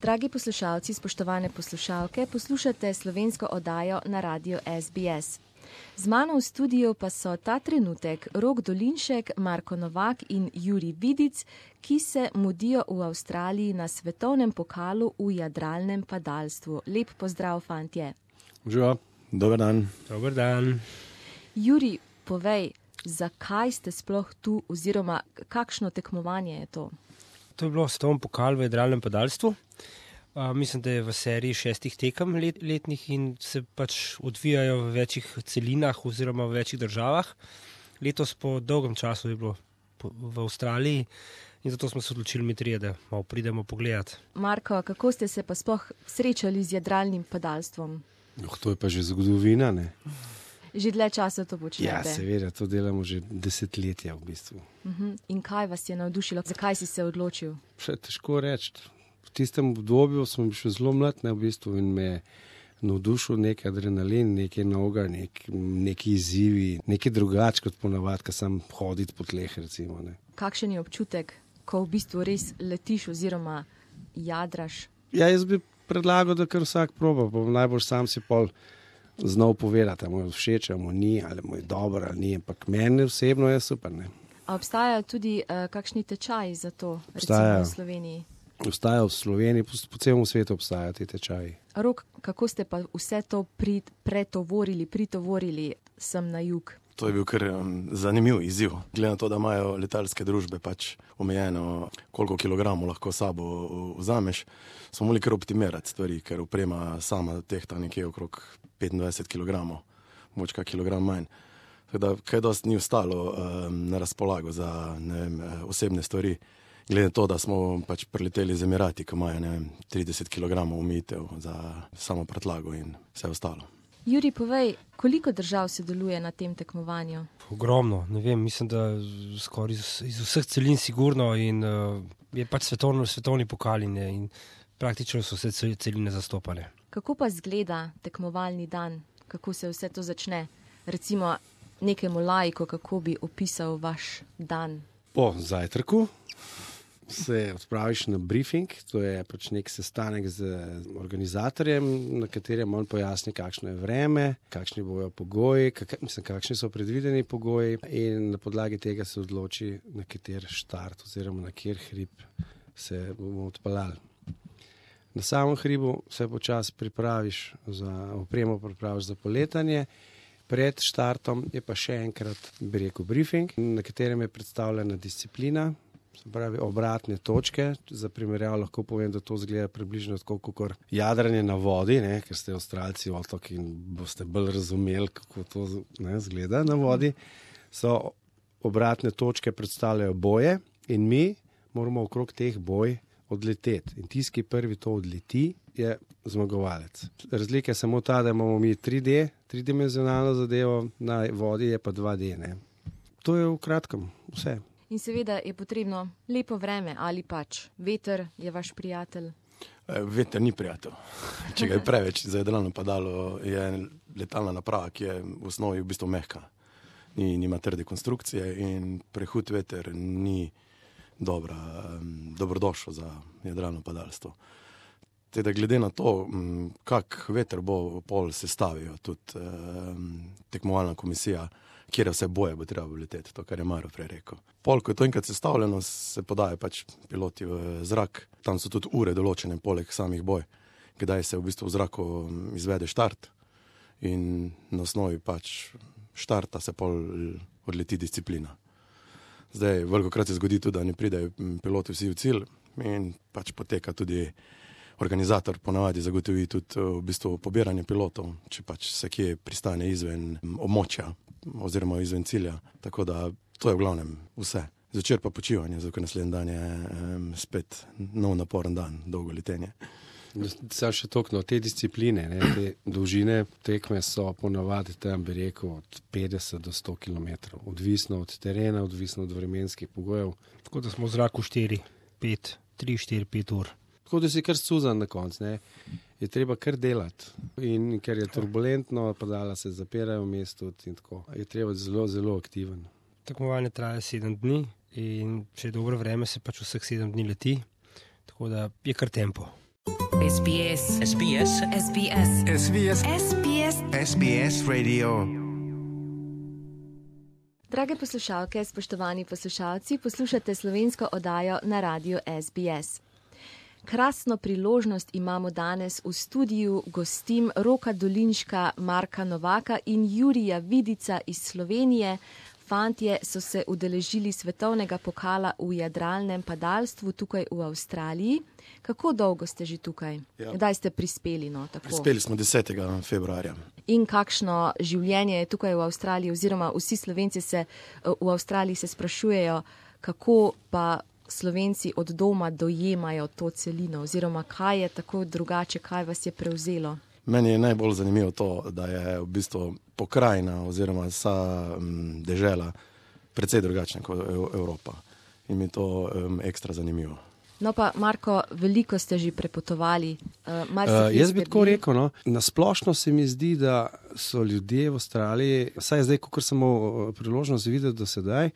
Dragi poslušalci, spoštovane poslušalke, poslušate slovensko oddajo na radiu SBS. Z mano v studiu pa so ta trenutek Rok Dolinšek, Marko Novak in Jurij Vidic, ki se mudijo v Avstraliji na svetovnem pokalu v jadralnem padalstvu. Lep pozdrav, fantje. Živijo, dober dan. Dober dan. Jurij, povej, zakaj ste sploh tu oziroma kakšno tekmovanje je to? To je bilo svetovni pokal v jadralnem padalstvu. Mislim, da je v seriji 6 tekem letnih in se pač odvijajo v večjih celinah oziroma v večjih državah. Letos po dolgem času je bilo v Avstraliji in zato smo se odločili mi trije, da malo pridemo pogledati. Marko, kako ste se pa sploh srečali z jadralnim padalstvom? To je pa že zgodovina, ne? Že dlje časa to počnete? Ja, seveda, to delamo že desetletja v bistvu. In kaj vas je navdušilo? Zakaj si se odločil? Še težko reči. V tistem obdobju smo bili še zelo mlad, ne, v bistvu, in me je navdušil nek adrenalin, nekaj novega, neki izzivi, nekaj drugače kot ponavadi, ko sam hoditi po tleh, recimo. Ne. Kakšen je občutek, ko v bistvu res letiš oziroma jadraš? Ja, jaz bi predlagal, da kar vsak proba, pa najbolj sam si pol znal povedati, ali mu je všeč, ali mu ni, ali mu je dobro, ali ni, ampak meni osebno je super. Ne. A obstajajo tudi kakšni tečaji za to, Obstajajo. recimo v Sloveniji? Obstajajo v Sloveniji, po celem svetu obstajajo ti tečaji. Rok, kako ste pa vse to pritovorili sem na jug? To je bil kar zanimiv izziv. Glede na to, da imajo letalske družbe pač omejeno, koliko kilogramov lahko sabo vzameš, smo morali kar optimirati stvari, ker oprema sama tehta nekje okrog 25 kilogramov, moč kak kilogram manj. Tako da kaj dosti ni ostalo na razpolago za osebne stvari. Glede na to, da smo pač preleteli z Emirati, ko imajo 30 kilogramov omejitev za samo prtljago in vse ostalo. Jurij, povej, koliko držav sodeluje na tem tekmovanju? Ogromno, ne vem, mislim, da skoraj iz vseh celin sigurno in je pač svetovni pokal in praktično so vse celine zastopane. Kako pa izgleda tekmovalni dan? Kako se vse to začne? Recimo nekemu laiku, kako bi opisal vaš dan? Po zajtrku se odpraviš na briefing, to je pač nek sestanek z organizatorjem, na katerem on pojasni, kakšno je vreme, kakšni bojo pogoji, kakšni so predvideni pogoji in na podlagi tega se odloči, na kater štart oziroma na kjer hrib se bomo odpeljali. Na samem hribu se počasi pripraviš za poletanje. Pred štartom je pa še enkrat, bi rekel, briefing, na katerem je predstavljena disciplina, se pravi obratne točke. Za primerjavo lahko povem, da to izgleda približno tako kot jadranje na vodi, ne, ker ste Avstralci otok in boste bolj razumeli, kako to izgleda na vodi. So obratne točke predstavljajo boje in mi moramo okrog teh boj odleteti. In tisti, ki prvi to odleti, je zmagovalec. Razlika je samo ta, da imamo mi 3D, tridimenzionalno zadevo, na vodi je pa 2D. Ne. To je v kratkem vse. In seveda je potrebno lepo vreme ali pač veter je vaš prijatelj? Veter ni prijatelj. Če ga je preveč za jadralno padalo, je letalna naprava, ki je v osnovi v bistvu mehka. Nima trde konstrukcije in prehud veter ni dobrodošel za jadralno padalstvo. Teda glede na to, kak veter bo pol sestavijo tudi tekmovalna komisija, kjer vse boje bo treba leteti, to, kar je Maro prej rekel. Pol, ko je to enkrat sestavljeno, se podajo pač piloti v zrak. Tam so tudi ure določene, poleg samih boj, kdaj se v bistvu v zraku izvede štart in na osnovi pač štarta se pol odleti disciplina. Zdaj, velikokrat se zgodi tudi, da ne pridejo piloti vsi v cilj in pač poteka tudi organizator ponavadi zagotovi tudi v bistvu pobiranje pilotov, če pač se kje pristane izven območja oziroma izven cilja. Tako da to je v glavnem vse. Zvečer pa počivanje, zato naslednji dan je spet nov naporen dan, dolgo letenje. Sam še toliko, te discipline, te dolžine tekme so ponavadi tam, bi rekel, od 50 do 100 km. Odvisno od terena, odvisno od vremenskih pogojev. Tako da smo v zraku 3-4-5 ur. Tako da si kar scuzan na koncu, ne. Je treba kar delati. In ker je turbulentno, padala se zapirajo v mestu in tako. Je treba zelo, zelo aktiven. Tekmovanje traja 7 dni in če je dobro vreme, se pač vseh 7 dni leti. Tako da je kar tempo. SBS. SBS. SBS. SBS. SBS. SBS Radio. Drage poslušalke, spoštovani poslušalci, poslušate slovensko oddajo na radiju SBS. Krasno priložnost imamo danes v studiu gostim Roka Dolinška, Marka Novaka in Jurija Vidica iz Slovenije. Fantje so se udeležili svetovnega pokala v jadralnem padalstvu tukaj v Avstraliji. Kako dolgo ste že tukaj? Ja. Kdaj ste prispeli? Prispeli smo 10. februarja. In kakšno življenje je tukaj v Avstraliji, oziroma vsi Slovenci se v Avstraliji se sprašujejo, kako pa Slovenci od doma dojemajo to celino, oziroma kaj je tako drugače, kaj vas je prevzelo? Meni je najbolj zanimivo to, da je v bistvu pokrajina oziroma vsa dežela precej drugačna kot Evropa. In mi je to ekstra zanimivo. No pa, Marko, veliko ste že prepotovali. Jaz bi tako rekel, no, nasplošno se mi zdi, da so ljudje v Avstraliji, vsaj zdaj, kot sem imel priložnost videti do sedaj,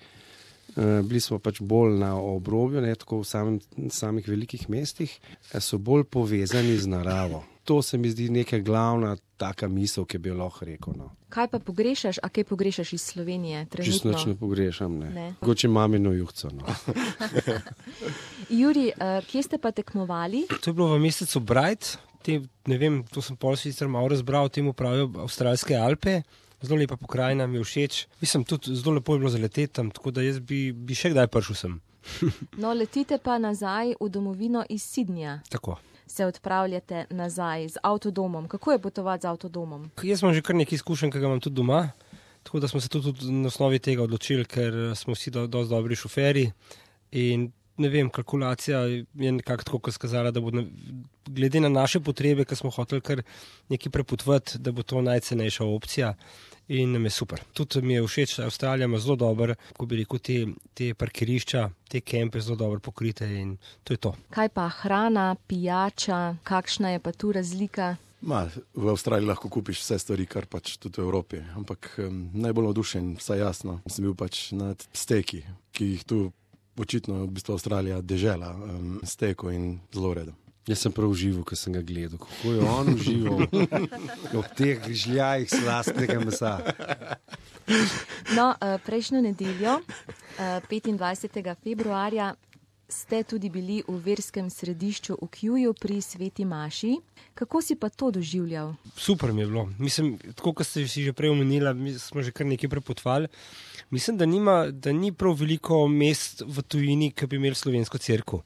bili smo pač bolj na obrobju, ne tako v samih velikih mestih, so bolj povezani z naravo. To se mi zdi neka glavna taka misel, ki bi jo lahko rekel. No. Kaj pa pogrešaš, a kaj pogrešaš iz Slovenije trenutno? Čisto nič ne pogrešam, ne. Mogoče mamino juhco, no. Juri, kje ste pa tekmovali? To je bilo v mesecu Bright, ne vem, to sem pol sicer malo razbral, temu pravijo Avstralske Alpe. Zelo lepa pokrajina, mi je všeč. Mislim, tudi zelo lepo je bilo zaleteti tam, tako da jaz bi še kdaj prišel sem. No, letite pa nazaj v domovino iz Sydneyja. Tako. Se odpravljate nazaj z avtodomom. Kako je potovati z avtodomom? Jaz imam že kar nekaj izkušenj, ki ga imam tudi doma, tako da smo se tudi na osnovi tega odločili, ker smo vsi dosti dobri šoferji in ne vem, kalkulacija je nekako tako, kot skazala, da bo glede na naše potrebe, ki smo hoteli kar nekaj prepotovati, da bo to najcenejša opcija in nam je super. Tudi mi je všeč, Avstralija ima zelo dober, ko bi rekel, te parkirišča, te kempe zelo dobro pokrite in to je to. Kaj pa hrana, pijača, kakšna je pa tu razlika? V Avstraliji lahko kupiš vse stvari, kar pač tudi v Evropi, ampak najbolj navdušen, vsaj jasno, sem bil pač nad steki, ki jih tu očitno v bistvu Avstralija dežela steko in zelo redo. Jaz sem prav užival, ko sem ga gledal. Kako je on užival ob teh žljajih slastnega mesa. No, prejšnjo nedeljo, 25. februarja, ste tudi bili v verskem središču v Kewju pri Sveti Maši. Kako si pa to doživljal? Super mi je bilo. Mislim, tako kot ste si že prej omenila, mi smo že kar nekaj prepotovali. Mislim, da ni prav veliko mest v tujini, ki bi imeli slovensko cerkev.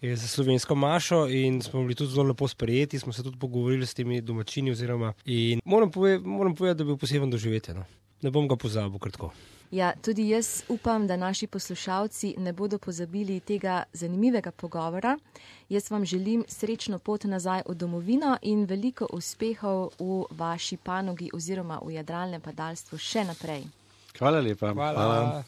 Je za slovensko mašo in smo bili tudi zelo lepo sprejeti, smo se tudi pogovorili s temi domačini oziroma in moram povedati, da bi bil poseben doživetje. No. Ne bom ga pozabil kratko. Ja, tudi jaz upam, da naši poslušalci ne bodo pozabili tega zanimivega pogovora. Jaz vam želim srečno pot nazaj v domovino in veliko uspehov v vaši panogi oziroma v jadralnem padalstvu še naprej. Hvala lepa. Hvala.